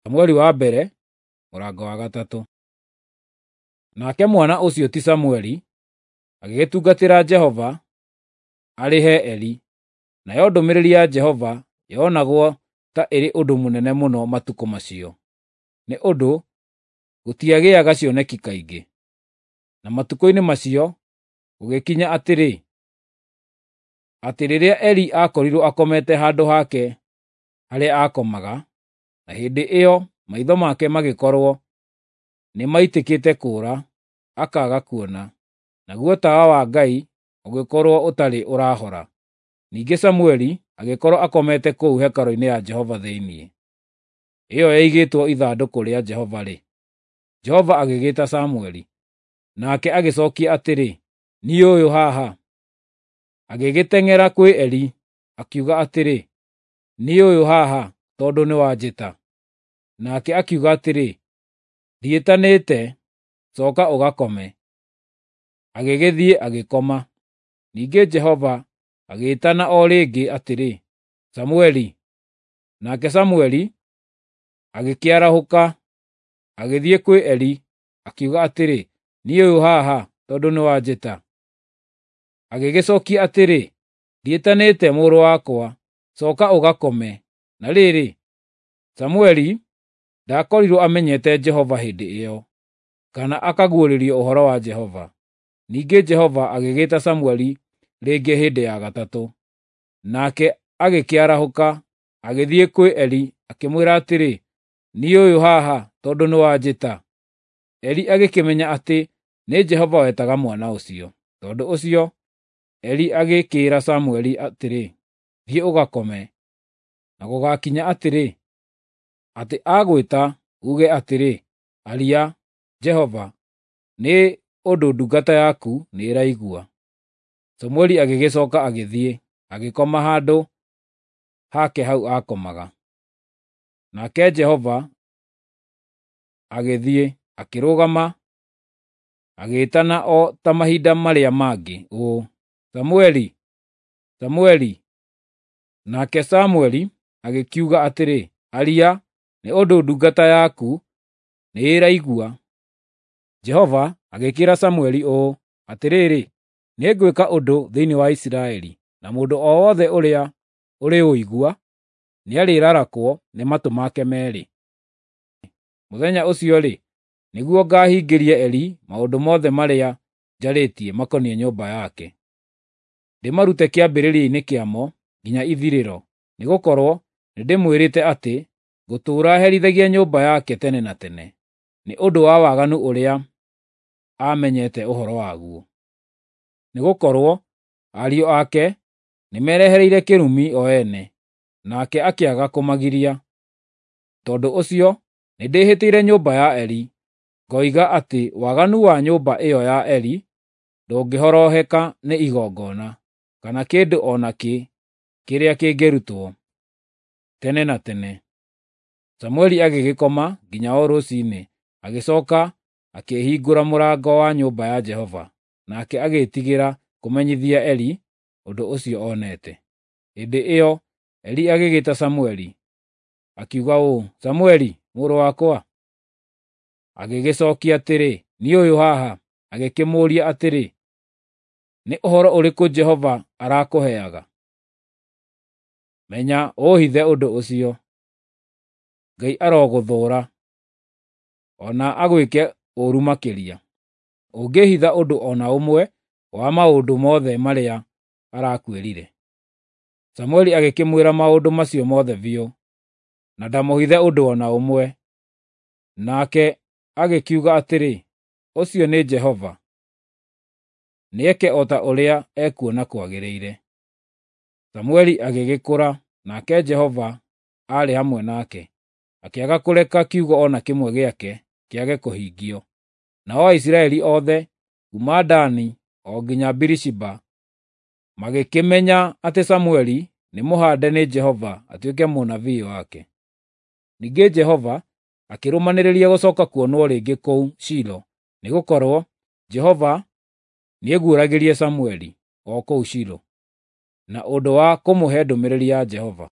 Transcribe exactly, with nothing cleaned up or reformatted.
Samueli wa mbere mũrango wa gatatũ. Nake mwana ũcio ti Samueli agĩgĩtungatĩra Jehova arĩ he Eli, nayo ndũmĩrĩri ya Jehova yonagwo ta ĩrĩ ũndũ mũnene mũno matukũ macio, nĩ ũndũ gũtiagĩaga cioneki kaingĩ. Na matukũ-inĩ macio gũgĩkinya atĩrĩ, atĩ rĩrĩa Eli aakorirwo akomete handũ hake harĩa aakomaga, na hĩndĩ ĩyo maitho make magĩkorwo nĩmaitĩkĩte kũũra, akaaga kuona, naguo tawa wa Ngai ũgĩkorwo ũtarĩ ũrahora. Ningĩ Samueli agĩkorwo akomete kũu hekarũ-inĩ ya Jehova thĩinĩ, ĩyo yaigĩtwo ithandũkũ rĩa Jehova-rĩ, Jehova agĩgĩĩta Samueli, nake agĩcookia atĩrĩ, “Niĩ ũyũ haha.” Agĩgĩteng'era kwĩ Eli, akiuga atĩrĩ, “Niĩ ũyũ haha, tondũ nĩwanjĩta.” Nake akiuga atĩrĩ, “Ndiĩtanĩte, cooka ũgakome.” Agĩgĩthiĩ agĩkoma. Ningĩ Jehova agĩĩtana o rĩngĩ atĩrĩ, “Samueli!” Nake Samueli agĩkĩarahũka, agĩthiĩ kwĩ Eli, akiuga atĩrĩ, “Niĩ ũyũ haha, tondũ nĩwanjĩta.” Agĩgĩcookia atĩrĩ, “Ndiĩtanĩte mũrũ wakwa, cooka ũgakome.” Na rĩrĩ, Samueli ndaakorirwo amenyete Jehova hĩndĩ ĩyo, kana akaguũrĩrio ũhoro wa Jehova. Ningĩ Jehova agĩgĩĩta Samueli rĩngĩ hĩndĩ ya gatatũ. Nake agĩkĩarahũka, agĩthiĩ kwĩ Eli, akĩmwĩra atĩrĩ, “Niĩ ũyũ haha, tondũ nĩwanjĩta.” Eli agĩkĩmenya atĩ nĩ Jehova wetaga mwana ũcio. Tondũ ũcio Eli agĩkĩĩra Samueli atĩrĩ, “Thiĩ ũgakome, na gũgaakinya atĩrĩ, atĩ agwĩta uuge atĩrĩ, ‘Aria, Jehova, nĩ ũndũ ndungata yaku nĩĩraigua.’ ” Samueli agĩgĩcooka agĩthiĩ, agĩkoma handũ hake hau aakomaga. Nake Jehova agĩthiĩ, akĩrũgama, agĩĩtana o ta mahinda marĩa mangĩ ũũ, “Samueli! Samueli!” Nake Samueli agĩkiuga atĩrĩ, “Aria, nĩ ũndũ ndungata yaku nĩĩraigua.” Jehova agĩkĩĩra Samueli ũũ, “Atĩrĩrĩ, nĩngwĩka ũndũ thĩinĩ wa Isiraeli, na mũndũ o wothe ũrĩa ũrĩũigua nĩarĩrarakwo nĩ matũ make meerĩ. Mũthenya ũcio-rĩ, nĩguo ngaahingĩria Eli maũndũ mothe marĩa njarĩtie makoniĩ nyũmba yake, ndĩmarute kĩambĩrĩria-inĩ kĩamo nginya ithirĩro, nĩgũkorwo nĩndĩmwĩrĩte atĩ ngũtũũra herithagia nyũmba yake tene na tene, nĩ ũndũ wa waganu ũrĩa aamenyete ũhoro waguo. Nĩgũkorwo ariũ ake nĩmerehereire kĩrumi o ene, nake akĩaga kũmagiria. Tondũ ũcio nĩndĩhĩtĩire nyũmba ya Eli, ngoiga atĩ waganu wa nyũmba ĩyo ya Eli ndũngĩhoroheka nĩ igongona, kana kĩndũ o nakĩ kĩrĩa kĩngĩrutwo, tene na tene. Samueli agĩgĩkoma nginya o rũciinĩ, agĩcooka akĩhingũra mũrango wa nyũmba ya Jehova, nake agĩĩtigĩra kũmenyithia Eli ũndũ ũcio onete. Hĩndĩ ĩyo Eli agĩgĩĩta Samueli, akiuga ũũ, “Samueli, mũrũ wakwa.” Agĩgĩcookia atĩrĩ, “Niĩ ũyũ haha.” Agĩkĩmũũria atĩrĩ, “Nĩ ũhoro ũrĩkũ Jehova arakũheaga? Menya ũũhithe ũndũ ũcio. Ngai arogũthũũra, o na agwĩke ũũru makĩria, ũngĩĩhitha ũndũ o na ũmwe wa maũndũ mothe marĩa arakwĩrire.” Samueli agĩkĩmwĩra maũndũ macio mothe biũ, na ndamũhithe ũndũ o na ũmwe. Nake agĩkiuga atĩrĩ, “Ũcio nĩ Jehova. Nĩeke o ta ũrĩa ekuona kwagĩrĩire.” Samueli agĩgĩkũra, nake Jehova aarĩ hamwe nake, akĩaga kũreka kiugo o na kĩmwe gĩake kĩage kũhingio. Nao Aisiraeli othe, kuuma Dani o nginya Birishiba, magĩkĩmenya atĩ Samueli nĩmũhaande nĩ Jehova atuĩke mũnabii wake. Ningĩ Jehova akĩrũmanĩrĩria gũcooka kuonwo rĩngĩ kũu Shilo, nĩgũkorwo Jehova nĩeguũragĩrie Samueli o kũu Shilo, na ũndũ wa kũmũhe ndũmĩrĩri ya Jehova.